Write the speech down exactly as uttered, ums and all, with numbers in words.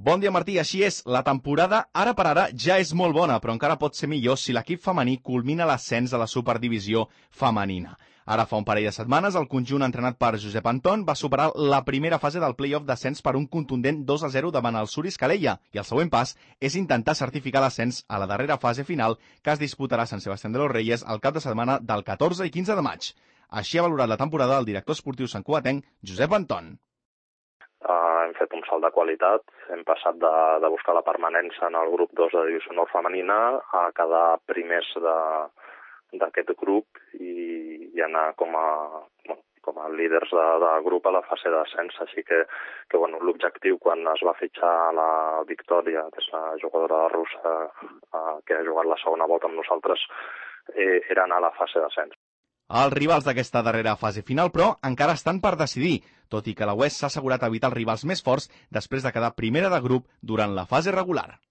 Bon dia, Martí. Així és, la temporada ara per ara ja és molt bona, però encara pot ser millor si l'equip femení culmina l'ascens a la superdivisió femenina. Ara fa un parell de setmanes, el conjunt entrenat per Josep Anton va superar la primera fase del play-off d'ascens per un contundent dos a zero davant el Suris Calella, i el següent pas és intentar certificar l'ascens a la darrera fase final que es disputarà a Sant Sebastián de los Reyes el cap de setmana del catorze i quinze de maig. Així ha valorat la temporada el director esportiu santcugatenc, Josep Anton. Uh, hem fet un salt de qualitat, hem passat de, de buscar la permanència en el grup dos de divisió honor femenina a quedar primers d'aquest grup i, i anar com a, bueno, com a líders de, de grup a la fase d'ascens. Així que, que bueno, l'objectiu quan es va fitxar la Victòria, que és la jugadora russa uh, que ha jugat la segona volta amb nosaltres, eh, era anar a la fase d'ascens. Els rivals d'aquesta darrera fase final, però, encara estan per decidir, tot i que la U E S s'ha assegurat evitar els rivals més forts després de quedar primera de grup durant la fase regular.